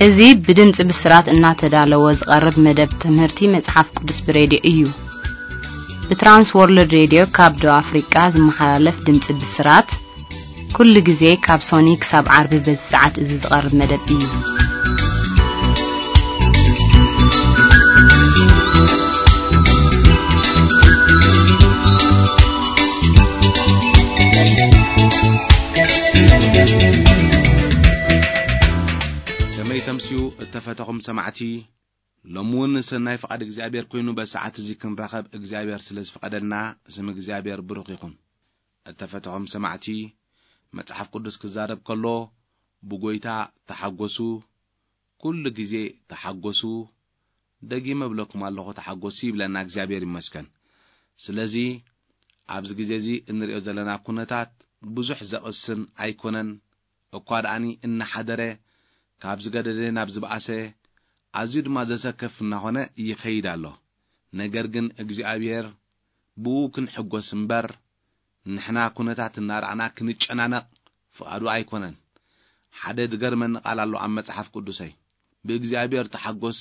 እዚ ብድምጺ ብስራት እናተዳለወ ዝቐርብ መደብ ትምህርቲ መጽሓፍ ቅዱስ ብሬድዮ እዩ። ብትራንስ ወርልድ ሬድዮ ካብ ደቡብ ኣፍሪቃ ዝመሓላለፍ ድምጺ ብስራት፣ ኩሉ ግዜ ካብ ሶኒ ክሳብ ዓርቢ በዚ ሰዓት እዚ ዝቐርብ መደብ እዩ። ከመይ ተምስዩ እተፈተኹም ሰማዕቲ፣ ሎሚ እውን ሰናይ ፍቓድ እግዚኣብሔር ኮይኑ በዚ ሰዓት እዚ ክንራኸብ እግዚኣብሔር ስለ ዝፈቐደልና ስም እግዚኣብሔር ብሩኽ ይኹን። እተፈተኹም ሰማዕቲ፣ መጽሓፍ ቅዱስ ክዛረብ ከሎ ብጎይታ ተሓጎሱ፣ ኩሉ ግዜ ተሓጎሱ፣ ደጊመ እብለኩም ኣለኹ ተሓጎሱ ይብለና እግዚኣብሔር ይመስገን። ስለዚ ኣብዚ ግዜ እዚ እንሪኦ ዘለና ኩነታት ብዙሕ ዘቕስን ኣይኮነን። እኳ ደኣኒ እናሓደረ ካብ ዝገደደ ናብ ዝበኣሰ ኣዝዩ ድማ ዘሰከፍ እናኾነ ይኸይድ ኣሎ። ነገር ግን እግዚኣብሔር ብኡ ክንሕጎስ እምበር ንሕና ኩነታት እናረኣና ክንጨናነቕ ፍቓዱ ኣይኮነን። ሓደ ዝገርመኒ ቃል ኣሎ ኣብ መጽሓፍ ቅዱሰይ፣ "ብእግዚኣብሔር ተሓጎስ፣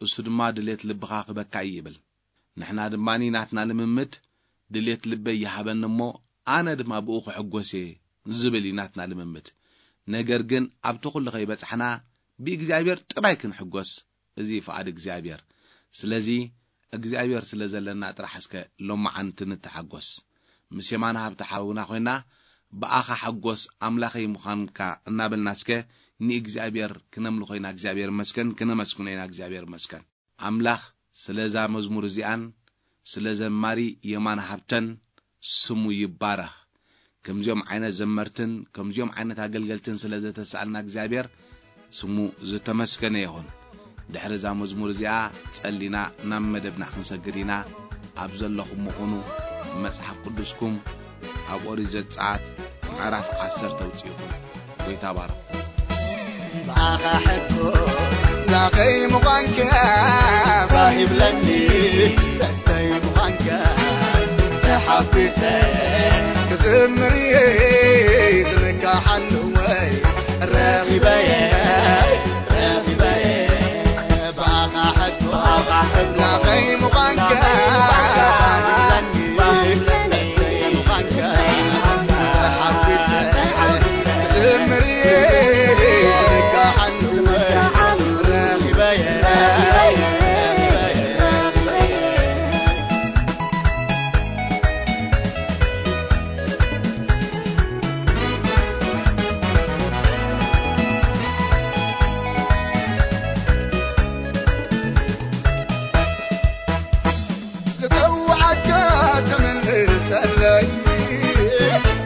እሱ ድማ ድሌት ልብኻ ክበካ እዩ" ይብል። ንሕና ድማ ናትና ልምምድ ድሌት ልበይ ይሃበኒ እሞ ኣነ ድማ ብኡ ክሕጎስ እየ ዝብል እዩ ናትና ልምምድ። ነገር ግን ኣብቲ ኩሉ ከይበጻሕና ብእግዚኣብሔር ጥራይ ክንሕጎስ፣ እዚ ፍቓድ እግዚኣብሔር። ስለዚ እግዚኣብሔር ስለ ዘለና ጥራሕ እስከ ሎማዓንቲ ንተሓጎስ። ምስ የማነ ሃብተ ሓውና ኮይና ብኣኻ ሓጎስ ኣምላኸይ ምዃንካ እናበልና እስከ ንእግዚኣብሔር ክነምልኾ ኢና። እግዚኣብሔር ይመስገን፣ ክነመስግኖ ኢና። እግዚኣብሔር ይመስገን። ኣምላኽ ስለዛ መዝሙር እዚኣን ስለ ዘማሪ የማነ ሃብተን ስሙ ይባረኽ። ከምዚኦም ዓይነት ዘመርትን ከምዚኦም ዓይነት ኣገልገልትን ስለ ዘተስኣልና እግዚኣብሔር ስሙ ዝተመስገነ ይኹን። ድሕሪ እዛ መዝሙር እዚኣ ጸሊና ናብ መደብና ክንሰግድ ኢና። ኣብ ዘለኹም ምኹኑ መጽሓፍ ቅዱስኩም ኣብ ኦሪት ዘጸኣት ምዕራፍ ዓሰርተ ኣውጽእኹም። ጎይታ ባርኹ። ብኣኻ ሕጎስ ናኸይ ምዃንካ ባህ ይብለኒ፣ ደስተይ ምዃንካ ተሓጒሰ ክዝምር እየ። ዝንካሓሉ ወይ ረኺበየ፣ ረኺበየ። ብኣኻ ሕጎስ ናኸይ ምዃንካ ባህ ይብለኒ፣ ደስተይ ምዃንካ ተሓጒሰ ክዝምር እየ። ዝንካሓሉ ወይ ረኺበየ፣ ረኺበየ። ዝጸውዓካ ትምልሰለይ፣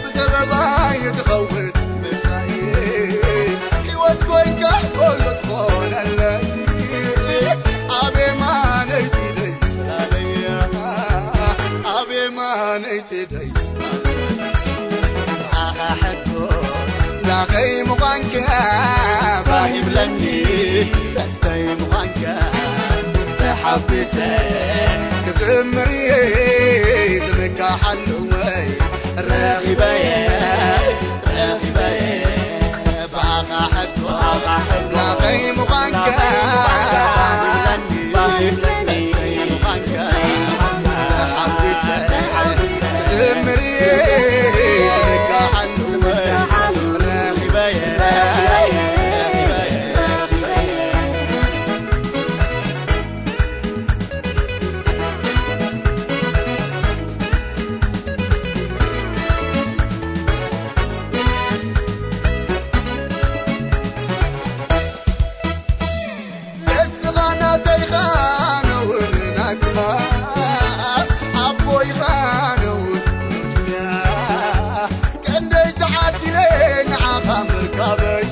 ብዘረባይ ትኸውን ምሳይ፣ ሕይወት ኮይንካ ኩሉ ትኾነለይ። ኣብ የማነይቲ ደይ ጽላለይ፣ ኣብ የማነይቲ ደይ ጽላለይ። ኣኻ ሕጎስ ናኸይ ምዃንካ ባህ ይብለኒ፣ ደስተይ ምዃንካ ተሓጒሰ ክዝምር እየ። ዝምካሓሉ ወይ ረኺበየ፣ ረኺበየ። ብኣኻ ሕጎስ ናኸይ ምዃንካ ባህ ይብለኒ፣ ደስተይ ምዃንካ ተሓጒሰ ክዝምር እየ። ዝምካሓሉ ወይ ረኺበየ፣ ረኺበየ። ንስኻ ናተይ ኢኻ፣ ኣነ እውን ናትካ፣ ኣቦይ ኢኻ፣ ኣነ እውን ወድካ። ክንደይ ተዓዲለ ንዓኻ ምርካበይ፣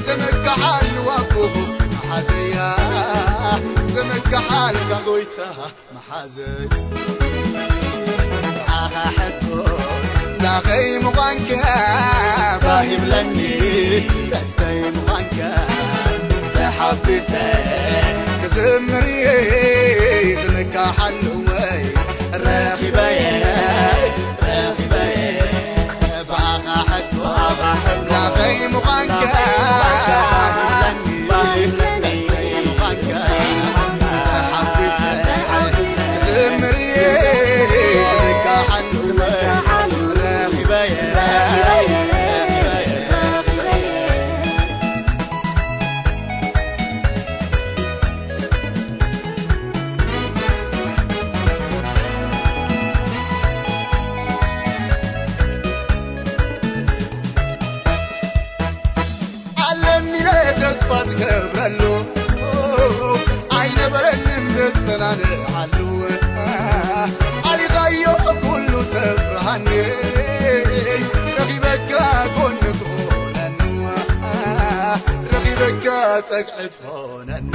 ዝምካሓሉ ኣቦኹ መሓዘያ፣ ዝምካሓልካ ጎይታ መሓዘይ። ኣኻ ሕጎስ ኣኸይ ምዃንካ ባህ ይብለኒ፣ ደስተይ ምዃንካ ተሓፊሰ ክዝምር እየ፣ ዝምካሓሉ ወይ ረኺበየ፣ ረኺበየ፣ ብኣኻ ሕቶ ኣምላኸይ ምዃንካ ባህ ይብለኒ፣ ደስተይ ምዃንካ ተሓፊሰ ክዝምር እየ፣ ዝምካሓሉ ኣለኒ ኢለ ተስፋ ዝገብረሉ ኣይነበረንን ዘጸናንዓሉ ኣሊኻዮ ኩሉ ተብርሃኒ ረኺበካ ጎኒ ትኾነኒ ረኺበካ ጸግዒ ትኾነኒ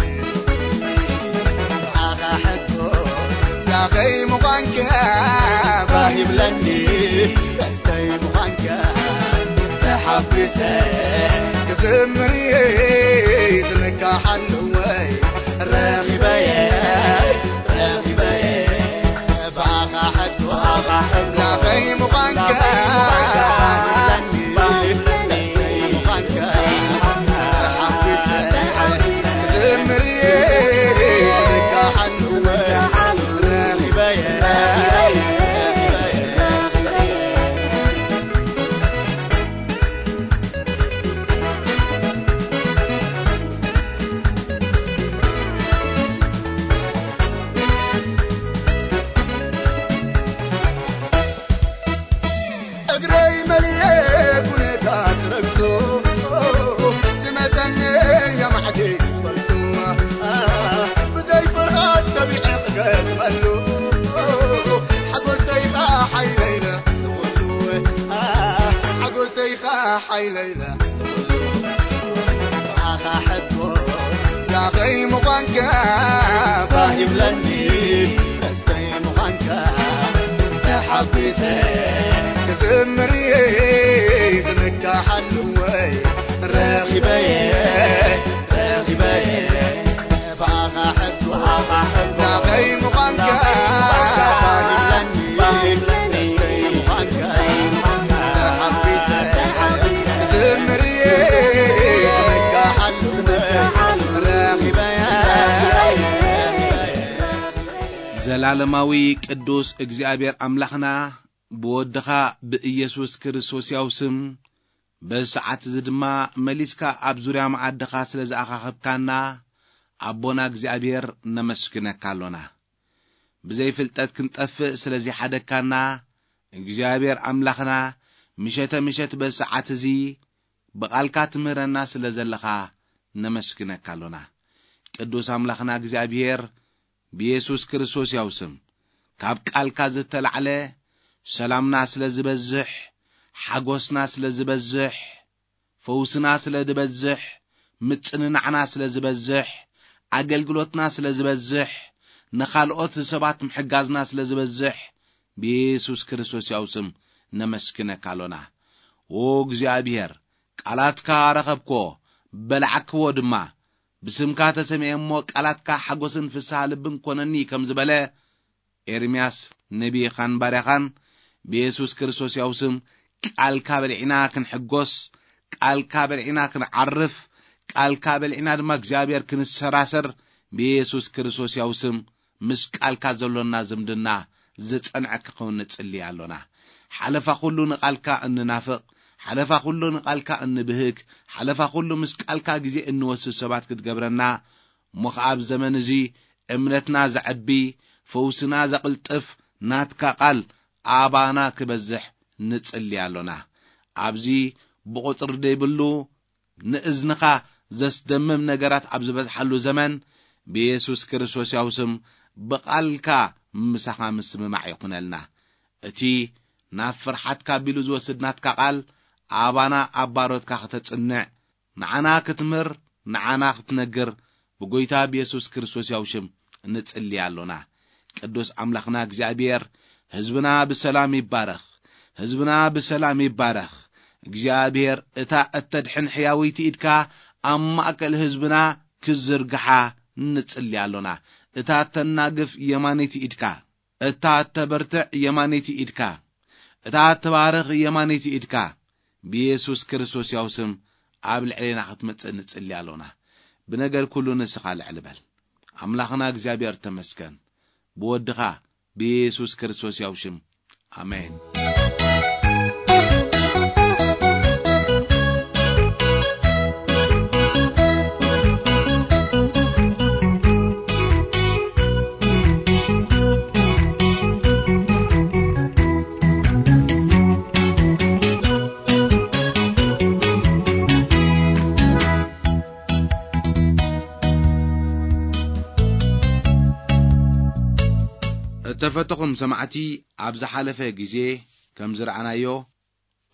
ኣኻ ሕቶስ ዳኸይ ምዃንካ ባህ ይብለኒ ደስተይ ምዃንካ ተሓፊሰ ክዝምር እየ ዝምካሓሉ ወይ ረኺበየ ረኺበየ ብኣኻ ሕቶ ኣምላኸይ ምዃንካ ባህ ይብለኒ ደስተይ ምዃንካ ተሓፊሰ ክዝምር እየ ዝምካሓሉ ወይ ረኺበየ እግረይ መሊኤ ኩነታት ረግጾ ዝመጸኒ የማዕዲ ይፈልጡ ብዘይ ፍርሃት ተቢዐ ክገጥመሉ ሓጎሰይኻ ሓይለይለ ንኹሉ ሓጎሰይኻ ሓይለይለ ኣኻ ሕቶስ ዳኸይ ምዃንካ ባህ ይብለኒ ደስተይ ምዃንካ ተሓጒሰ ክዝምር እየ ዝምካሓሉ ወይ ረኺበየ ረኺበየ ብኣኻ ሕቶ ዳኸይ ምዃንካ ባህ ይብለኒ ደስተይ ምዃንካ ተሓጒሰ ክዝምር እየ ዝምካሓሉ ወይ ረኺበየ ዘለዓለማዊ ቅዱስ እግዚኣብሔር ኣምላኽና ብወድኻ ብኢየሱስ ክርስቶስ ያው ስም በዚ ሰዓት እዚ ድማ መሊስካ ኣብ ዙርያ መዓድኻ ስለ ዝኣኻኸብካና ኣቦና እግዚኣብሔር ነመስግነካ ኣሎና። ብዘይ ፍልጠት ክንጠፍእ ስለ ዘይሓደግካና እግዚኣብሔር ኣምላኽና ምሸተ ምሸት በዚ ሰዓት እዚ ብቓልካ ትምህረና ስለ ዘለኻ ነመስግነካ ኣሎና። ቅዱስ ኣምላኽና እግዚኣብሔር ብየሱስ ክርስቶስ ያው ስም ካብ ቃልካ ዝተላዕለ ሰላምና ስለ ዝበዝሕ፣ ሓጎስና ስለ ዝበዝሕ፣ ፈውስና ስለ ዝበዝሕ፣ ምጽንናዕና ስለ ዝበዝሕ፣ ኣገልግሎትና ስለ ዝበዝሕ፣ ንኻልኦት ሰባት ምሕጋዝና ስለ ዝበዝሕ ብየሱስ ክርስቶስ ያው ስም ነመስግነካ ኣሎና። ኦ እግዚኣብሔር ቃላትካ ረኸብኮ፣ በላዕክዎ ድማ። ብስምካ ተሰሚዐ እሞ ቃላትካ ሓጎስን ፍስሃ ልብን ኮነኒ ከም ዝበለ ኤርምያስ ነቢኻን ባርያኻን ብየሱስ ክርስቶስ ያው ስም ቃልካ በልዒና ክንሕጎስ፣ ቃልካ በልዒና ክንዓርፍ፣ ቃልካ በልዒና ድማ እግዚኣብሔር ክንሰራሰር ብየሱስ ክርስቶስ ያው ስም ምስ ቃልካ ዘሎና ዝምድና ዝጸንዐ ክኸውን ንጽሊ ኣሎና። ሓለፋ ኩሉ ንቓልካ እንናፍቕ፣ ሓለፋ ኩሉ ንቓልካ እንብህግ፣ ሓለፋ ኩሉ ምስ ቃልካ ግዜ እንወስድ ሰባት ክትገብረና፣ እሞ ኸዓ ኣብ ዘመን እዚ እምነትና ዘዐቢ፣ ፈውስና ዘቕልጥፍ ናትካ ቃል ኣባና ክበዝሕ ንጽሊ ኣሎና። ኣብዚ ብቑጽሪ ዘይብሉ ንእዝንኻ ዘስደምም ነገራት ኣብ ዝበዝሓሉ ዘመን ብየሱስ ክርስቶስ ያው ስም ብቓልካ ምሳኻ ምስምማዕ ይኹነልና። እቲ ናብ ፍርሓትካ ኣቢሉ ዝወስድ ናትካ ቃል ኣባና ኣብ ባሮትካ ከተጽንዕ ንዓና ክትምህር ንዓና ክትነግር ብጎይታ ብየሱስ ክርስቶስ ያው ሽም ንጽሊ ኣሎና። ቅዱስ ኣምላኽና እግዚኣብሔር ህዝብና ብሰላም ይባረኽ። ህዝብና ብሰላም ይባረኽ። እግዚኣብሔር እታ እተድሕን ሕያወይቲ ኢድካ ኣብ ማእከል ህዝብና ክዝርግሓ ንጽሊ ኣሎና። እታ እተናግፍ የማነይቲ ኢድካ፣ እታ እተበርትዕ የማነይቲ ኢድካ፣ እታ እተባርኽ የማነይቲ ኢድካ ብየሱስ ክርስቶስ ያው ስም ኣብ ልዕሌና ክትመጽእ ንጽሊ ኣሎና። ብነገር ኩሉ ንስኻ ልዕል በል። ኣምላኽና እግዚኣብሔር ተመስገን። ብወድኻ ብየሱስ ክርስቶስ ያው ሽም። ኣሜን። እተፈተኹም ሰማዕቲ፣ ኣብ ዝሓለፈ ግዜ ከም ዝረኣናዮ፣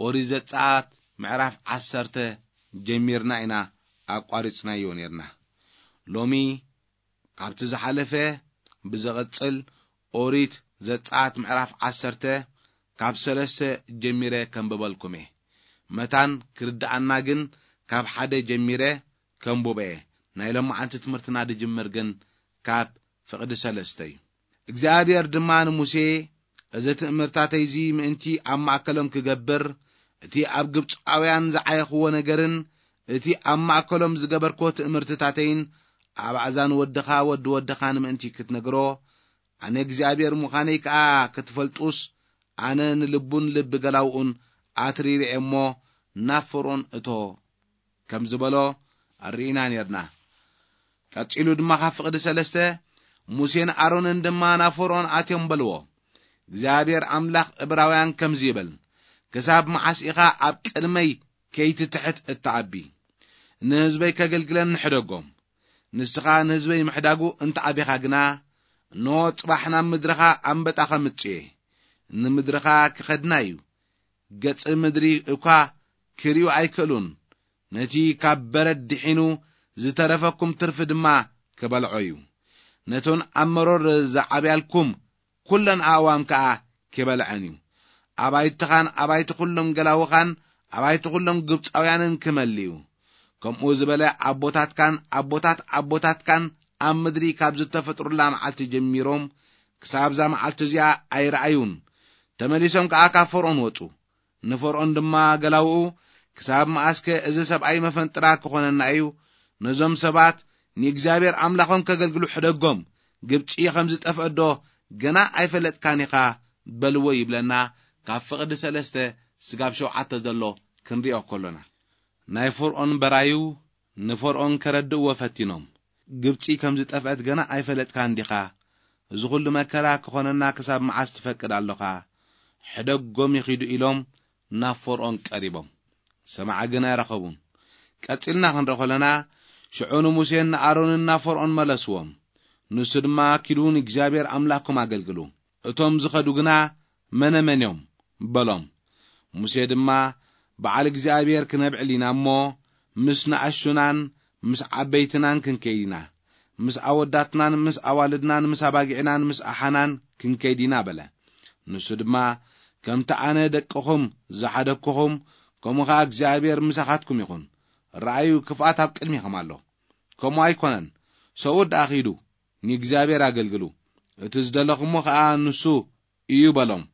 ኦሪት ዘጸኣት ምዕራፍ ዓሰርተ ጀሚርና ኢና ኣቋሪጽናዮ ኔርና። ሎሚ ካብቲ ዝሓለፈ ብዝቕጽል፣ ኦሪት ዘጸኣት ምዕራፍ ዓሰርተ ካብ ሰለስተ ጀሚረ ከንብበልኩም እየ። መታን ክርድኣና ግን ካብ ሓደ ጀሚረ ከንብቦ እየ። ናይ ሎማዓንቲ ትምህርትና ድጅምር ግን ካብ ፍቕዲ ሰለስተ እዩ። እግዚኣብሔር ድማ ንሙሴ፣ "እዚ ትእምርታተይ እዚ ምእንቲ ኣብ ማእከሎም ክገብር፣ እቲ ኣብ ግብጻውያን ዝዓየኽዎ ነገርን እቲ ኣብ ማእከሎም ዝገበርክዎ ትእምርትታተይን ኣብ ኣእዛን ወድኻ ወዲ ወድኻን ምእንቲ ክትነግሮ፣ ኣነ እግዚኣብሔር ምዃነይ ከኣ ክትፈልጡስ፣ ኣነ ንልቡን ልቢ ገላውኡን ኣትሪረ እየ እሞ ናብ ፈርኦን እቶ" ከም ዝበሎ ርኢና ኔርና። ቀጺሉ ድማ ካብ ፍቕዲ ሰለስተ፣ "ሙሴን ኣሮንን ድማ ናብ ፈርኦን ኣትዮም በልዎ፣ እግዚኣብሔር ኣምላኽ እብራውያን ከምዚ ይብል፣ ክሳብ መዓስ ኢኻ ኣብ ቅድመይ ከይትትሕት እትዓቢ? ንህዝበይ ከገልግለኒ ሕደጎም። ንስኻ ንህዝበይ ምሕዳጉ እንተዓቢኻ ግና፣ እንሆ ጽባሕ ናብ ምድርኻ ኣንበጣ ከምጽእ እየ። ንምድርኻ ክኸድና እዩ። ገጽ ምድሪ እኳ ክርእዩ ኣይክእሉን። ነቲ ካብ በረድ ድሒኑ ዝተረፈኩም ትርፊ ድማ ክበልዖ እዩ። ነተን ኣብ መሮር ዝዓብያልኩም ኩለን ኣእዋም ከኣ ክበልዐን እዩ። ኣባይትኻን ኣባይቲ ኩሎም ገላውኻን ኣባይቲ ኩሎም ግብጻውያንን ክመልእ እዩ። ከምኡ ዝበለ ኣቦታትካን ኣቦታት ኣቦታትካን ኣብ ምድሪ ካብ ዝተፈጥሩላ መዓልቲ ጀሚሮም ክሳብ እዛ መዓልቲ እዚኣ ኣይረኣዩን። ተመሊሶም ከኣ ካብ ፈርኦን ወጹ። ንፈርኦን ድማ ገላውኡ፣ ክሳብ መኣስከ እዚ ሰብኣይ መፈንጥራ ክኾነና እዩ? ነዞም ሰባት ንእግዚኣብሔር ኣምላኾም ከገልግሉ ሕደጎም። ግብጺ ከም ዝጠፍአዶ ገና ኣይፈለጥካን ኢኻ በልዎ ይብለና። ካብ ፍቕዲ ሰለስተ ስጋብ ሸውዓተ ዘሎ ክንሪኦ ከሎና፣ ናይ ፈርኦን በራዩ ንፈርኦን ከረድእዎ ፈቲኖም። ግብጺ ከም ዝጠፍአት ገና ኣይፈለጥካን ዲኻ? እዚ ኹሉ መከራ ክኾነና ክሳብ መዓስ ትፈቅድ ኣሎኻ? ሕደጎም ይኺዱ ኢሎም ናብ ፈርኦን ቀሪቦም። ሰማዒ ግን ኣይረኸቡን። ቀጺልና ክንርኢ ከለና፣ ሽዑ ንሙሴን ንኣሮንን ናብ ፈርኦን መለስዎም። ንሱ ድማ፣ "ኪዱ ንእግዚኣብሔር ኣምላኽኩም ኣገልግሉ። እቶም ዝኸዱ ግና መነመን እዮም?" በሎም። ሙሴ ድማ፣ "በዓል እግዚኣብሔር ክነብዕል ኢና እሞ፣ ምስ ንኣሽቱናን ምስ ዓበይትናን ክንከይድ ኢና። ምስ ኣወዳትናን ምስ ኣዋልድናን ምስ ኣባጊዕናን ምስ ኣሓናን ክንከይድ ኢና" በለ። ንሱ ድማ፣ "ከምቲ ኣነ ደቅኹም ዝሓደግኩኹም፣ ከምኡ ኸኣ እግዚኣብሔር ምሳኻትኩም ይኹን። ረኣዩ፣ ክፍኣት ኣብ ቅድሚኹም ኣሎ። ከምኡ ኣይኮነን፣ ሰብኡት ደኣ ኺዱ፣ ንእግዚኣብሔር ኣገልግሉ። እቲ ዝደለኹሞ ኸኣ ንሱ እዩ" በሎም።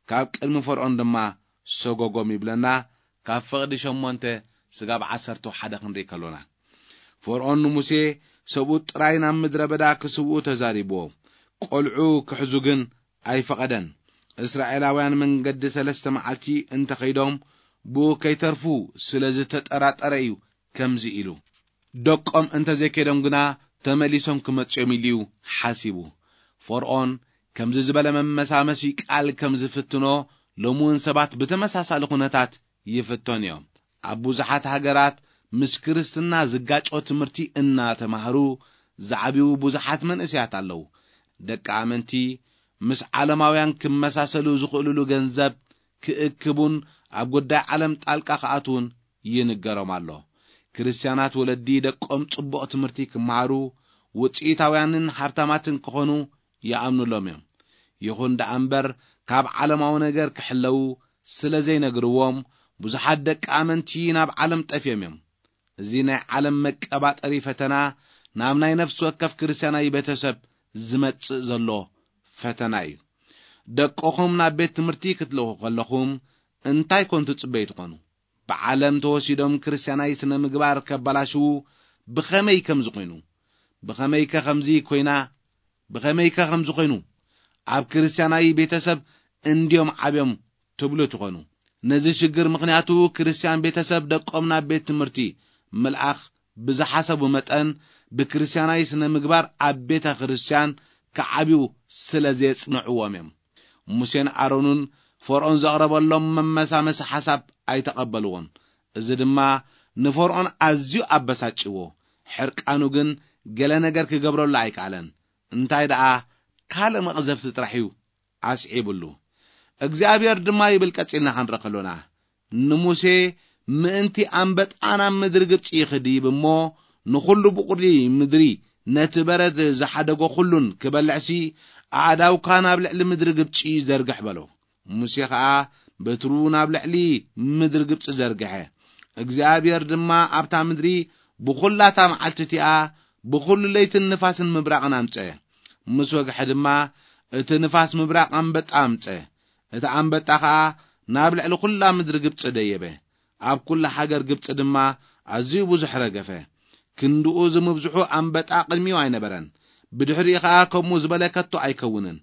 ካብ ቅድሚ ፈርዖን ድማ ሰጎጎም ይብለና። ካብ ፍቕዲ ሸሞንተ ስጋብ ዓሰርተ ሓደ ክንርኢ ከሎና፣ ፈርዖን ንሙሴ ሰብኡት ጥራይ ናብ ምድረ በዳ ክስውኡ ተዛሪብዎ። ቆልዑ ክሕዙ ግን ኣይፈቐደን። እስራኤላውያን መንገዲ ሰለስተ መዓልቲ እንተኸይዶም ብኡ ከይተርፉ ስለ ዝተጠራጠረ እዩ ከምዚ ኢሉ። ደቆም እንተዘይከይዶም ግና ተመሊሶም ክመጽኦም ኢሉ እዩ ሓሲቡ። ፈርዖን ከምዚ ዝበለ መመሳመሲ ቃል ከም ዝፍትኖ ሎሚ እውን ሰባት ብተመሳሳሊ ኩነታት ይፍተኑ እዮም። ኣብ ብዙሓት ሃገራት ምስ ክርስትና ዝጋጮ ትምህርቲ እናተማህሩ ዝዓብዩ ብዙሓት መንእሰያት ኣለዉ። ደቂ ኣመንቲ ምስ ዓለማውያን ክመሳሰሉ ዝኽእሉሉ ገንዘብ ክእክቡን ኣብ ጉዳይ ዓለም ጣልቃ ክኣትዉን ይንገሮም ኣሎ። ክርስትያናት ወለዲ ደቆም ጽቡቕ ትምህርቲ ክመሃሩ፣ ውጽኢታውያንን ሃብታማትን ክኾኑ ይኣምኑሎም እዮም። ይኹን ደኣ እምበር፣ ካብ ዓለማዊ ነገር ክሕለዉ፣ ስለ ዘይነግርዎም፣ ብዙሓት ደቂ ኣመንቲ ናብ ዓለም ጠፍዮም እዮም። እዚ ናይ ዓለም መቀባጠሪ ፈተና ናብ ናይ ነፍሲ ወከፍ ክርስትያናዊ ቤተሰብ ዝመጽእ ዘሎ ፈተና እዩ። ደቅኹም ናብ ቤት ትምህርቲ ክትልእኹ ከለኹም እንታይ ኮን ትጽበዩ ትኾኑ? ብዓለም ተወሲዶም ክርስትያናዊ ስነ ምግባር ከበላሽዉ ብኸመይ ከም ዝኾይኑ፣ ብኸመይከ ከምዚ ኮይና፣ ብኸመይከ ከምዚ ኮይኑ፣ ኣብ ክርስትያናዊ ቤተሰብ እንድዮም ዓብዮም ትብሉ ትኾኑ። ነዚ ሽግር ምኽንያቱ ክርስትያን ቤተሰብ ደቆም ናብ ቤት ትምህርቲ ምልኣኽ ብዝሓሰቡ መጠን ብክርስትያናዊ ስነ ምግባር ኣብ ቤተ ክርስትያን ክዓብዩ ስለ ዘየጽንዕዎም እዮም። ሙሴን ኣሮንን ፈርዖን ዘቕረበሎም መመሳመሲ ሓሳብ ኣይተቐበልዎን። እዚ ድማ ንፈርዖን ኣዝዩ ኣበሳጭዎ። ሕርቃኑ ግን ገለ ነገር ክገብረሉ ኣይከኣለን። እንታይ ደኣ ካልእ መቕዘፍቲ ጥራሕ እዩ ኣስዒብሉ። እግዚኣብሔር ድማ ይብል ቀጺልና ክንርኢ ከሎና፣ ንሙሴ ምእንቲ ኣንበጣ ናብ ምድሪ ግብጺ ይኽድይብ እሞ ንኹሉ ብቑሊ ምድሪ ነቲ በረድ ዝሓደጎ ኩሉን ክበልዕሲ ኣእዳውካ ናብ ልዕሊ ምድሪ ግብጺ ዘርግሕ በሎ። ሙሴ ኸኣ በትሩ ናብ ልዕሊ ምድሪ ግብጺ ዘርግሐ። እግዚኣብሔር ድማ ኣብታ ምድሪ ብኹላታ መዓልቲ እቲኣ ብኹሉ ለይትን ንፋስን ምብራቕን ኣምጸ። ምስ ወግሐ ድማ እቲ ንፋስ ምብራቕ ኣንበጣ ኣምጸ። እቲ ኣንበጣ ኸኣ ናብ ልዕሊ ኹላ ምድሪ ግብጺ ደየበ። ኣብ ኩላ ሃገር ግብጺ ድማ ኣዝዩ ብዙሕ ረገፈ። ክንድኡ ዝምብዝሑ ኣንበጣ ቅድሚኡ ኣይነበረን። ብድሕሪኡ ኸኣ ከምኡ ዝበለ ከቶ ኣይከውንን።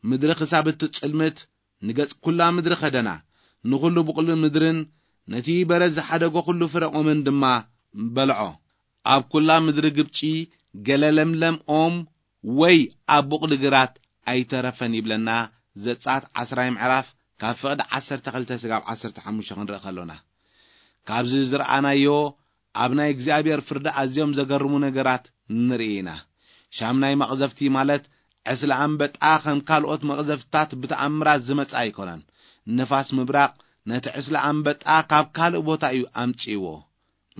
ምድሪ ክሳብ እትጽልምት ንገጽ ኩላ ምድሪ ኸደና። ንኹሉ ብቑሊ ምድርን ነቲ በረድ ዝሓደጎ ኹሉ ፍረ ኦምን ድማ በልዖ። ኣብ ኩላ ምድሪ ግብጺ ገለ ለምለም ኦም ወይ ኣብ ቡቕሊ ግራት ኣይተረፈን ይብለና። ዘጸኣት ዓስራይ ምዕራፍ ካብ ፍቕዲ ዓሰርተ ክልተ ስጋብ ዓሰርተ ሓሙሽተ ክንርኢ ከሎና፣ ካብዚ ዝረኣናዮ ኣብ ናይ እግዚኣብሔር ፍርዲ ኣዝዮም ዘገርሙ ነገራት ንርኢ ኢና። ሻምናይ መቕዘፍቲ ማለት ዕስለ ኣንበጣ ከም ካልኦት መቕዘፍትታት ብተኣምራት ዝመጽእ ኣይኮነን። ንፋስ ምብራቕ ነቲ ዕስለ ኣንበጣ ካብ ካልእ ቦታ እዩ ኣምጺእዎ።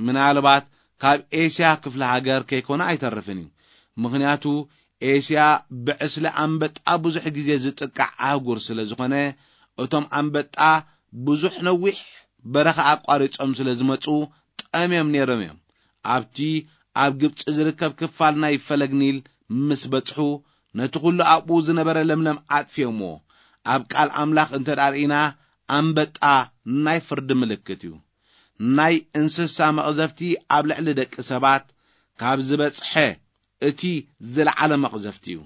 ምናልባት ካብ ኤስያ ክፍለ ሃገር ከይኮነ ኣይተርፍን እዩ። ምኽንያቱ ኤስያ ብዕስለ ኣንበጣ ብዙሕ ግዜ ዝጥቃዕ ኣህጉር ስለ ዝኾነ፣ እቶም ኣንበጣ ብዙሕ ነዊሕ በረኻ ኣቋሪጾም ስለ ዝመጹ ጠምዮም ነይሮም እዮም። ኣብቲ ኣብ ግብጺ ዝርከብ ክፋል ናይ ፈለግ ኒል ምስ በጽሑ፣ ነቲ ኹሉ ኣብኡ ዝነበረ ለምለም ኣጥፊኦምዎ። ኣብ ቃል ኣምላኽ እንተ ደኣ ርኢና፣ ኣንበጣ ናይ ፍርዲ ምልክት እዩ። ናይ እንስሳ መቕዘፍቲ ኣብ ልዕሊ ደቂ ሰባት ካብ ዝበጽሐ እቲ ዝለዓለ መቕዘፍቲ እዩ።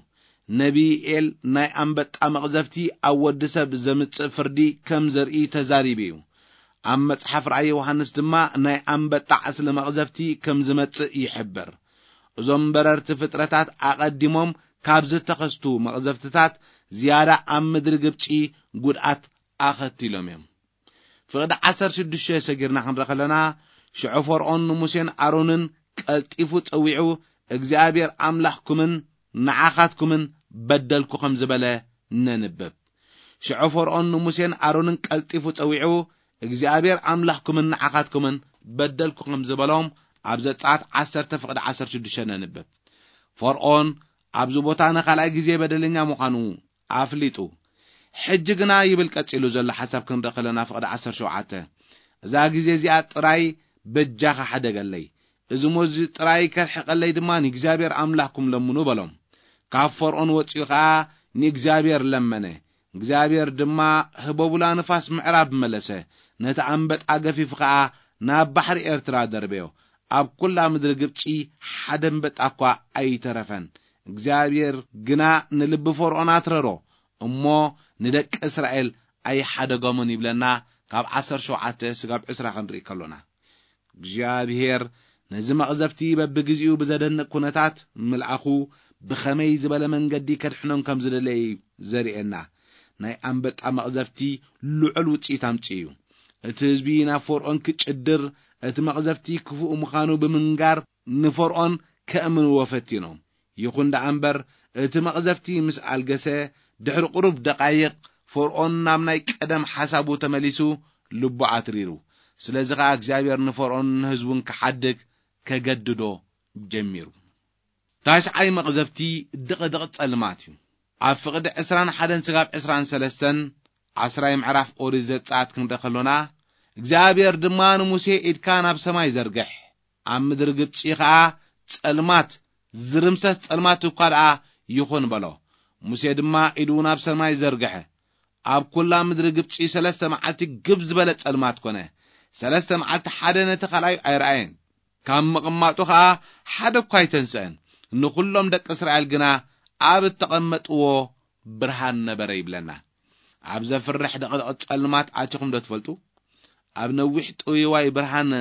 ነቢ ኢኤል ናይ ኣንበጣ መቕዘፍቲ ኣብ ወዲ ሰብ ዘምጽእ ፍርዲ ከም ዘርኢ ተዛሪቡ እዩ። ኣብ መጽሓፍ ራእይ ዮሃንስ ድማ ናይ ኣንበጣ ዕስለ መቕዘፍቲ ከም ዝመጽእ ይሕብር። እዞም በረርቲ ፍጥረታት ኣቐዲሞም ካብ ዝተኸስቱ መቕዘፍትታት ዝያዳ ኣብ ምድሪ ግብጺ ጉድኣት ኣኸቲሎም እዮም። ፍቕዲ ዓሰርተ ሽዱሽተ ሰጊርና ክንርኢ ከለና፣ ሽዑ ፈርዖን ንሙሴን ኣሮንን ቀልጢፉ ጸዊዑ፣ እግዚኣብሔር ኣምላኽኩምን ንዓኻትኩምን በደልኩ ከም ዝበለ ነንብብ። ሽዑ ፈርዖን ንሙሴን ኣሮንን ቀልጢፉ ጸዊዑ፣ እግዚኣብሔር ኣምላኽኩምን ንዓኻትኩምን በደልኩ ከም ዝበሎም ኣብ ዘጸኣት ዓሰርተ ፍቕዲ ዓሰርተ ሽዱሽተ ነንብብ። ፈርዖን ኣብዚ ቦታ ንኻልኣይ ግዜ በደለኛ ምዃኑ ኣፍሊጡ። ሕጂ ግና ይብል ቀጺሉ ዘሎ ሓሳብ ክንርኢ ከለና ፍቕዲ ዓሰርተ ሸውዓተ፣ እዛ ግዜ እዚኣ ጥራይ በጃኻ ሓደገለይ፣ እዚ ሞዚ ጥራይ ከርሕቐለይ ድማ ንእግዚኣብሔር ኣምላኽኩም ለምኑ በሎም። ካብ ፈርዖን ወጺኡ ኸኣ ንእግዚኣብሔር ለመነ። እግዚኣብሔር ድማ ህቦቡላ ንፋስ ምዕራብ መለሰ፣ ነቲ ኣንበጣ ገፊፉ ኸኣ ናብ ባሕሪ ኤርትራ ደርበዮ። ኣብ ኩላ ምድሪ ግብጺ ሓደ ኣንበጣ እኳ ኣይተረፈን። እግዚኣብሔር ግና ንልቢ ፈርዖን ኣትረሮ፣ እሞ ንደቂ እስራኤል ኣይሓደጎምን ይብለና። ካብ ዓሰርተ ሸውዓተ ስጋብ ዕስራ ክንርኢ ከሎና፣ እግዚኣብሔር ነዚ መቕዘፍቲ በብግዜኡ ብዘደንቕ ኩነታት ምልኣኹ ብኸመይ ዝበለ መንገዲ ከድሕኖም ከም ዝደለየ እዩ ዘርእየና። ናይ ኣንበጣ መቕዘፍቲ ልዑል ውጽኢት ኣምጺኡ እዩ። እቲ ህዝቢ ናብ ፈርዖን ክጭድር፣ እቲ መቕዘፍቲ ክፉእ ምዃኑ ብምንጋር ንፈርዖን ከእምንዎ ፈቲኖም። ይኹን ደኣ እምበር፣ እቲ መቕዘፍቲ ምስ ኣልገሰ፣ ድሕሪ ቁሩብ ደቓይቕ፣ ፈርዖን ናብ ናይ ቀደም ሓሳቡ ተመሊሱ፣ ልቡ ኣትሪሩ። ስለዚ ኸኣ እግዚኣብሔር ንፈርዖን ንህዝቡን ክሓድግ ከገድዶ ጀሚሩ። ታሽዓይ መቕዘፍቲ ድቕድቕ ጸልማት እዩ። ኣብ ፍቕዲ ዕስራን ሓደን ስጋብ ዕስራን ሰለስተን ዓስራይ ምዕራፍ ኦሪት ዘጸኣት ክንርኢ ከሎና፣ እግዚኣብሔር ድማ ንሙሴ፣ "ኢድካ ናብ ሰማይ ዘርግሕ፣ ኣብ ምድሪ ግብጺ ኸኣ ጸልማት፣ ዝርምሰስ ጸልማት እኳ ደኣ ይኹን" በሎ። ሙሴ ድማ ኢዱ ናብ ሰማይ ዘርግሐ። ኣብ ኵላ ምድሪ ግብጺ ሰለስተ መዓልቲ ግብ ዝበለ ጸልማት ኰነ። ሰለስተ መዓልቲ ሓደ ነቲ ካልኣዩ ኣይረኣየን። ካብ ምቕማጡ ኸኣ ሓደ እኳ ኣይተንስአን። ንኹሎም ደቂ እስራኤል ግና ኣብ እተቐመጥዎ ብርሃን ነበረ ይብለና። ኣብ ዘፍርሕ ድቕድቕ ጸልማት ኣቲኹም ዶ ትፈልጡ? ኣብ ነዊሕ ጥውይዋይ ብርሃን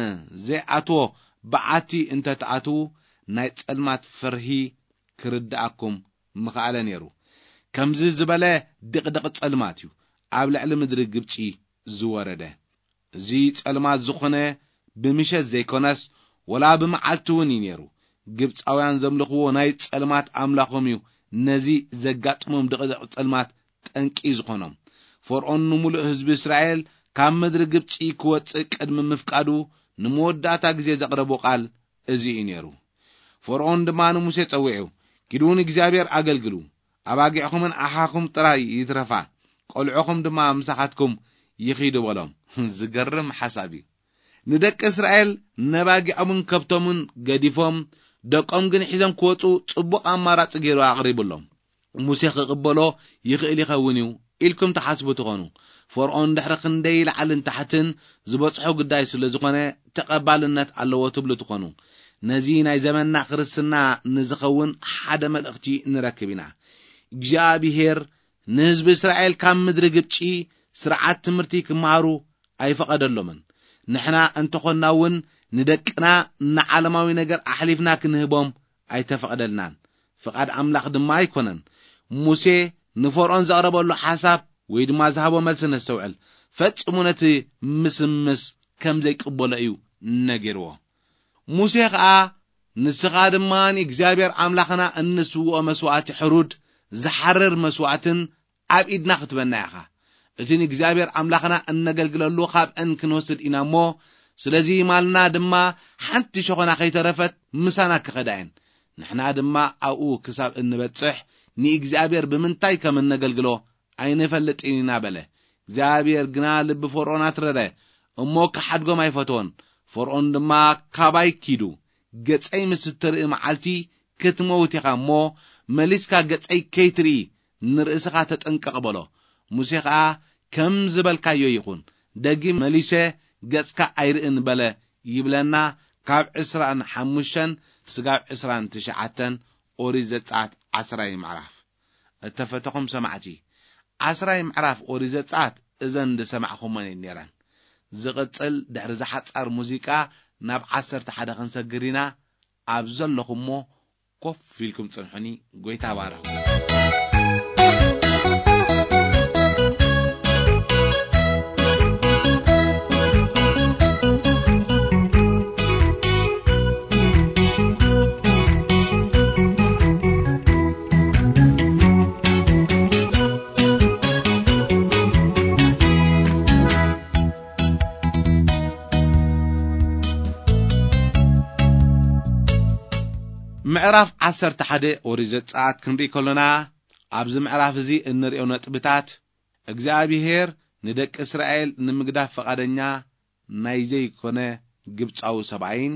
ዘይኣትዎ በዓቲ እንተ ትኣትዉ፣ ናይ ጸልማት ፍርሂ ክርድኣኩም ምኽኣለ ነይሩ። ከምዚ ዝበለ ድቕድቕ ጸልማት እዩ ኣብ ልዕሊ ምድሪ ግብጺ ዝወረደ። እዚ ጸልማት ዝኾነ ብምሸት ዘይኮነስ፣ ወላ ብመዓልቲ እውን እዩ ነይሩ። ግብጻውያን ዘምልኽዎ ናይ ጸልማት ኣምላኾም እዩ ነዚ ዘጋጥሞም ድቕድቕ ጸልማት ጠንቂ ዝኾኖም። ፈርዖን ንምሉእ ህዝቢ እስራኤል ካብ ምድሪ ግብጺ ክወጽእ ቅድሚ ምፍቃዱ፣ ንመወዳእታ ግዜ ዘቕረቦ ቃል እዚ እዩ ነይሩ። ፈርዖን ድማ ንሙሴ ጸዊዑ፣ "ኪዱ ንእግዚኣብሔር ኣገልግሉ፣ ኣባጊዕኹምን ኣሓኹም ጥራይ ይትረፋ፣ ቆልዑኹም ድማ ምሳኻትኩም ይኺዱ" በሎም። ዝገርም ሓሳብ እዩ። ንደቂ እስራኤል ነባጊዖምን ከብቶምን ገዲፎም፣ ደቆም ግን ሒዞም ክወጹ ጽቡቕ ኣማራጺ ገይሩ ኣቕሪቡሎም። ሙሴ ክቕበሎ ይኽእል ይኸውን እዩ ኢልኩም ትሓስቡ ትኾኑ። ፈርዖን ድሕሪ ክንደይ ላዕልን ታሕትን ዝበጽሖ ጉዳይ ስለ ዝኾነ ተቐባልነት ኣለዎ ትብሉ ትኾኑ። ነዚ ናይ ዘመንና ክርስትና ንዝኸውን ሓደ መልእኽቲ ንረክብ ኢና። እግዚኣብሄር ንህዝቢ እስራኤል ካብ ምድሪ ግብጺ ስርዓት ትምህርቲ ክመሃሩ ኣይፈቐደሎምን። ንሕና እንተኾንና እውን ንደቅና ንዓለማዊ ነገር ኣሕሊፍና ክንህቦም ኣይተፈቐደልናን። ፍቓድ ኣምላኽ ድማ ኣይኮነን። ሙሴ ንፈርዖን ዘቕረበሉ ሓሳብ ወይ ድማ ዝሃቦ መልሲ ነስተውዕል። ፈጺሙ ነቲ ምስምስ ከም ዘይቅበሎ እዩ ነጊርዎ። ሙሴ ኸኣ፣ "ንስኻ ድማ ንእግዚኣብሔር ኣምላኽና እንስውኦ መስዋእቲ ሕሩድ ዝሓርር መስዋእትን ኣብ ኢድና ክትበና ኢኻ። እቲ ንእግዚኣብሔር ኣምላኽና እነገልግለሉ ኻብአን ክንወስድ ኢና እሞ፣ ስለዚ ማልና ድማ ሓንቲ ሸኾና ኸይተረፈት ምሳና ክኸዳ እየን። ንሕና ድማ ኣብኡ ክሳብ እንበጽሕ ንእግዚኣብሔር ብምንታይ ከም እነገልግሎ ኣይንፈልጥን ኢና" በለ። እግዚኣብሔር ግና ልቢ ፈርዖን ኣትረረ፣ እሞ ክሓድጎም ኣይፈተወን። ፈርዖን ድማ፣ "ካባይ ኪዱ፣ ገጸይ ምስ እትርኢ መዓልቲ ክትመውት ኢኻ እሞ፣ መሊስካ ገጸይ ከይትርኢ ንርእስኻ ተጠንቀቕ" በሎ። ሙሴ ኸኣ፣ "ከም ዝበልካዮ ይኹን፣ ደጊም መሊሰ ገጽካ ኣይርእን" በለ ይብለና። ካብ ዕስራን ሓሙሽተን ስጋብ ዕስራን ትሽዓተን ኦሪት ዘጸኣት ዓስራይ ምዕራፍ። እተፈተኹም ሰማዕቲ፣ ዓስራይ ምዕራፍ ኦሪት ዘጸኣት እዘን ዝሰማዕኹመን እየን ነይረን። ዝቕጽል ድሕሪ ዝሓጻር ሙዚቃ ናብ ዓሰርተ ሓደ ክንሰግር ኢና። ኣብ ዘለኹሞ ኮፍ ኢልኩም ጽንሑኒ። ጎይታ ባርኹ። ምዕራፍ ዓሰርተ ሓደ ኦሪት ዘጸኣት ክንርኢ ከሎና፣ ኣብዚ ምዕራፍ እዚ እንርእዮ ነጥብታት፣ እግዚኣብሄር ንደቂ እስራኤል ንምግዳፍ ፈቓደኛ ናይ ዘይኮነ ግብጻዊ ሰብኣይን፣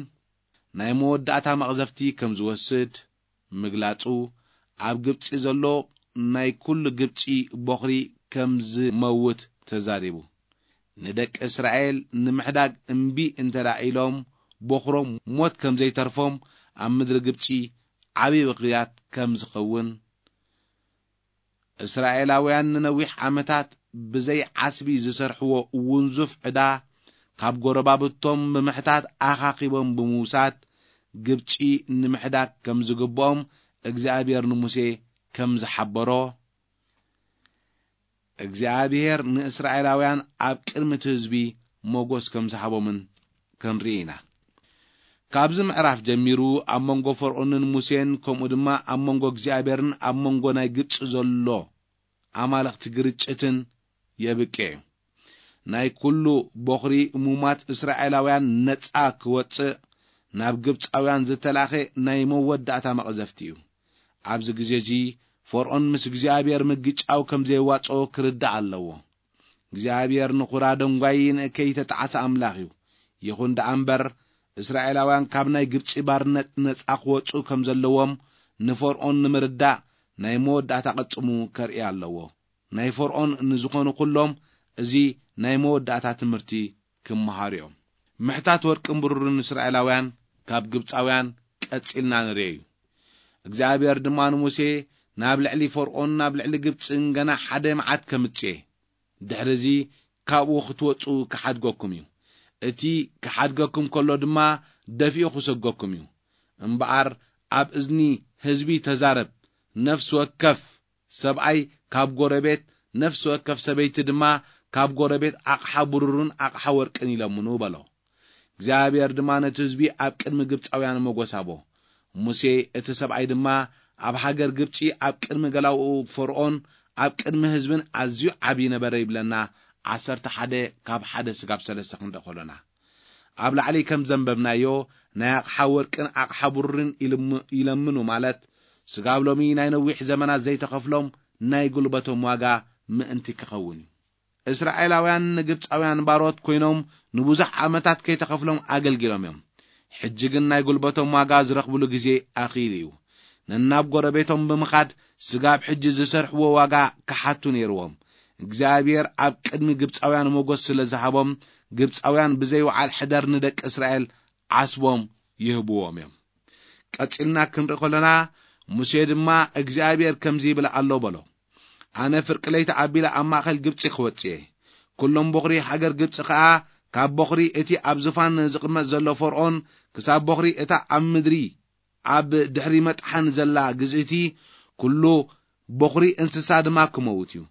ናይ መወዳእታ መቕዘፍቲ ከም ዝወስድ ምግላጹ፣ ኣብ ግብጺ ዘሎ ናይ ኩሉ ግብጺ ቦኽሪ ከም ዝመውት ተዛሪቡ። ንደቂ እስራኤል ንምሕዳግ እምቢ እንተ ደኣ ኢሎም፣ ቦኽሮም ሞት ከም ዘይተርፎም፣ ኣብ ምድሪ ግብጺ ዓብዪ ብኽያት ከም ዝኸውን፣ እስራኤላውያን ንነዊሕ ዓመታት ብዘይ ዓስቢ ዝሰርሕዎ ውንዙፍ ዕዳ፣ ካብ ጎረባብቶም ብምሕታት ኣኻኺቦም ብምውሳድ፣ ግብጺ ንምሕዳግ ከም ዝግብኦም እግዚኣብሔር ንሙሴ ከም ዝሓበሮ፣ እግዚኣብሔር ንእስራኤላውያን ኣብ ቅድሚ እቲ ህዝቢ ሞጎስ ከም ዝሃቦምን ክንርኢ ኢና። ካብዚ ምዕራፍ ጀሚሩ ኣብ መንጎ ፈርዖንን ሙሴን፣ ከምኡ ድማ ኣብ መንጎ እግዚኣብሔርን ኣብ መንጎ ናይ ግብጺ ዘሎ ኣማልኽቲ ግርጭትን የብቅዕ እዩ። ናይ ኩሉ ቦኽሪ እሙማት እስራኤላውያን ነጻ ክወጽእ ናብ ግብጻውያን ዝተላኸ ናይ መወዳእታ መቕዘፍቲ እዩ። ኣብዚ ግዜ እዚ ፈርዖን ምስ እግዚኣብሔር ምግጫው ከም ዘየዋጽኦ ክርዳእ ኣለዎ። እግዚኣብሔር ንኹራ ደንጓዪ ንእከይ ተጣዕሰ ኣምላኽ እዩ። ይኹን ደኣ እምበር፣ እስራኤላውያን ካብ ናይ ግብጺ ባርነት ነጻ ክወጹ ከም ዘለዎም ንፈርዖን ንምርዳእ ናይ መወዳእታ ቅጽሙ ከርኢ ኣለዎ። ናይ ፈርዖን ንዝኾኑ ኩሎም እዚ ናይ መወዳእታ ትምህርቲ ክመሃሩ እዮም። ምሕታት ወርቅን ብሩርን እስራኤላውያን ካብ ግብጻውያን ቀጺልና ንርእዮ እዩ። እግዚኣብሔር ድማ ንሙሴ፣ ናብ ልዕሊ ፈርዖን ናብ ልዕሊ ግብጽን ገና ሓደ መዓት ከምጽእ እየ። ድሕርዚ ካብኡ ክትወጹ ክሓድገኩም እዩ። እቲ ክሓድገኩም ከሎ ድማ ደፊኡ ክሰገኩም እዩ። እምበኣር ኣብ እዝኒ ህዝቢ ተዛረብ። ነፍሲ ወከፍ ሰብኣይ ካብ ጎረቤት፣ ነፍሲ ወከፍ ሰበይቲ ድማ ካብ ጎረቤት ኣቕሓ ብሩርን ኣቕሓ ወርቅን ይለምኑ በሎ። እግዚኣብሔር ድማ ነቲ ህዝቢ ኣብ ቅድሚ ግብጻውያን ሞጎስ ሃቦ። ሙሴ እቲ ሰብኣይ ድማ ኣብ ሃገር ግብጺ ኣብ ቅድሚ ገላውኡ ፈርዖን ኣብ ቅድሚ ህዝብን ኣዝዩ ዓቢ ነበረ ይብለና። ዓሰርተ ሓደ ካብ ሓደ ስጋብ ሰለስተ ክንርኢ ከሎና ኣብ ላዕሊ ከም ዘንበብናዮ ናይ ኣቕሓ ወርቅን ኣቕሓ ብሩርን ይልም-፣ ይለምኑ ማለት ስጋብ ሎሚ ናይ ነዊሕ ዘመናት ዘይተኸፍሎም ናይ ጉልበቶም ዋጋ ምእንቲ ክኸውን እዩ። እስራኤላውያን ንግብጻውያን ባሮት ኮይኖም ንብዙሕ ዓመታት ከይተኸፍሎም ኣገልጊሎም እዮም። ሕጂ ግን ናይ ጉልበቶም ዋጋ ዝረኽብሉ ግዜ ኣኺሉ እዩ። ነናብ ጎረቤቶም ብምኻድ ስጋብ ሕጂ ዝሰርሕዎ ዋጋ ክሓቱ ነይርዎም። እግዚኣብሔር ኣብ ቅድሚ ግብጻውያን ሞገስ ስለ ዝሃቦም፣ ግብጻውያን ብዘይ ወዓል ሕደር ንደቂ እስራኤል ዓስቦም ይህብዎም እዮም። ቀጺልና ክንርኢ ከለና፣ ሙሴ ድማ እግዚኣብሔር ከምዚ ይብል ኣሎ በሎ፣ ኣነ ፍርቂ ለይቲ ኣቢለ ኣብ ማእከል ግብጺ ክወጽእ እየ። ኩሎም በኹሪ ሃገር ግብጺ ከኣ፣ ካብ በኹሪ እቲ ኣብ ዙፋን ዝቕመጥ ዘሎ ፈርዖን ክሳብ በኹሪ እታ ኣብ ምድሪ ኣብ ድሕሪ መጥሓን ዘላ ግዝእቲ፣ ኩሉ በኹሪ እንስሳ ድማ ክመውት እዩ።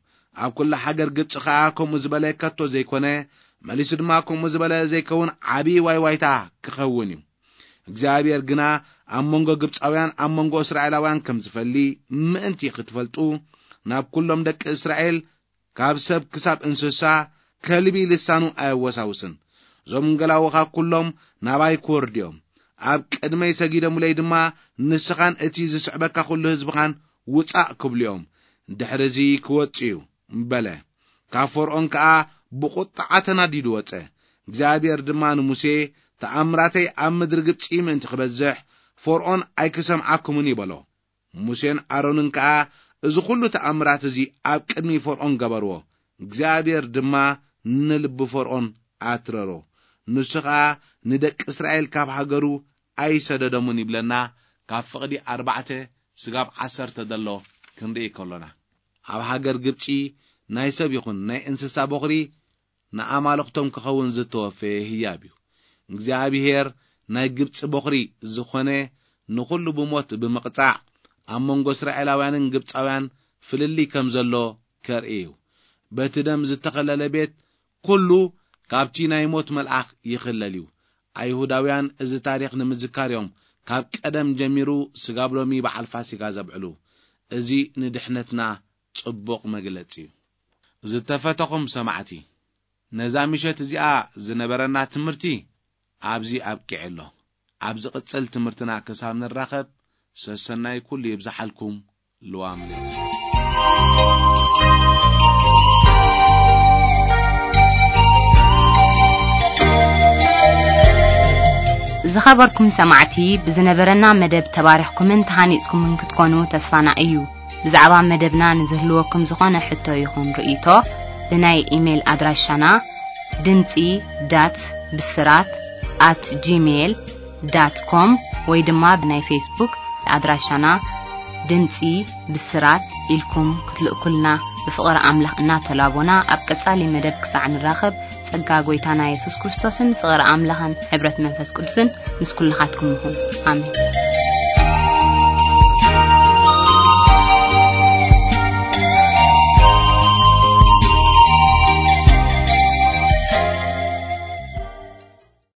ኣብ ኩላ ሃገር ግብጺ ከኣ ከምኡ ዝበለ ከቶ ዘይኮነ፣ መሊሱ ድማ ከምኡ ዝበለ ዘይከውን ዓቢ ዋይዋይታ ክኸውን እዩ። እግዚኣብሔር ግና ኣብ መንጎ ግብጻውያን ኣብ መንጎ እስራኤላውያን ከም ዝፈሊ ምእንቲ ክትፈልጡ፣ ናብ ኩሎም ደቂ እስራኤል ካብ ሰብ ክሳብ እንስሳ ከልቢ ልሳኑ ኣየወሳውስን። እዞም ገላውኻ ኩሎም ናባይ ክወርዱ እዮም። ኣብ ቅድመይ ሰጊዶምለይ ድማ፣ ንስኻን እቲ ዝስዕበካ ኩሉ ህዝብኻን ውጻእ ክብሉ እዮም። ድሕርዚ ክወጽእ እዩ በለ። ካብ ፈርዖን ከኣ ብቑጥዓ ተናዲዱ ወጸ። እግዚኣብሔር ድማ ንሙሴ፣ ተኣምራተይ ኣብ ምድሪ ግብጺ ምእንቲ ክበዝሕ፣ ፈርዖን ኣይክሰምዓኩምን እዩ በሎ። ሙሴን ኣሮንን ከኣ እዚ ኹሉ ተኣምራት እዚ ኣብ ቅድሚ ፈርዖን ገበርዎ። እግዚኣብሔር ድማ ንልቢ ፈርዖን ኣትረሮ። ንሱ ኸኣ ንደቂ እስራኤል ካብ ሃገሩ ኣይሰደዶምን ይብለና። ካብ ፍቕዲ ኣርባዕተ ስጋብ ዓሰርተ ዘሎ ክንርኢ ከሎና፣ ኣብ ሃገር ግብጺ ናይ ሰብ ይኹን ናይ እንስሳ በኹሪ ንኣማልኽቶም ክኸውን ዝተወፈየ ህያብ እዩ። እግዚኣብሔር ናይ ግብጺ በኹሪ ዝኾነ ንኹሉ ብሞት ብምቕጻዕ፣ ኣብ መንጎ እስራኤላውያንን ግብጻውያን ፍልልይ ከም ዘሎ ከርኢ እዩ። በቲ ደም ዝተኸለለ ቤት ኩሉ ካብቲ ናይ ሞት መልኣኽ ይኽለል እዩ። ኣይሁዳውያን እዚ ታሪኽ ንምዝካር እዮም ካብ ቀደም ጀሚሩ ስጋብ ሎሚ በዓል ፋሲጋ ዘብዕሉ። እዚ ንድሕነትና ጽቡቕ መግለጺ እዩ። ዝተፈተኹም ሰማዕቲ፣ ነዛ ምሸት እዚኣ ዝነበረና ትምህርቲ ኣብዚ ኣብቂዐ ኣሎ። ኣብ ዝቕጽል ትምህርትና ክሳብ ንራኸብ፣ ሰሰናይ ኩሉ ይብዝሓልኩም። ልዋም ለይቲ። ዝኸበርኩም ሰማዕቲ፣ ብዝነበረና መደብ ተባሪኽኩምን ተሃኒጽኩምን ክትኮኑ ተስፋና እዩ። ብዛዕባ መደብና ንዝህልወኩም ዝኾነ ሕቶ ይኹን ርእይቶ፣ ብናይ ኢሜይል ኣድራሻና ድምጺ ዳት ብስራት ኣት ጂሜይል ዳት ኮም ወይ ድማ ብናይ ፌስቡክ ኣድራሻና ድምጺ ብስራት ኢልኩም ክትልእኩልና ብፍቕሪ ኣምላኽ እናተላቦና፣ ኣብ ቀጻሊ መደብ ክሳዕ ንራኸብ፣ ጸጋ ጐይታና የሱስ ክርስቶስን ፍቕሪ ኣምላኽን ሕብረት መንፈስ ቅዱስን ምስ ኩልኻትኩም ይኹን። ኣሜን።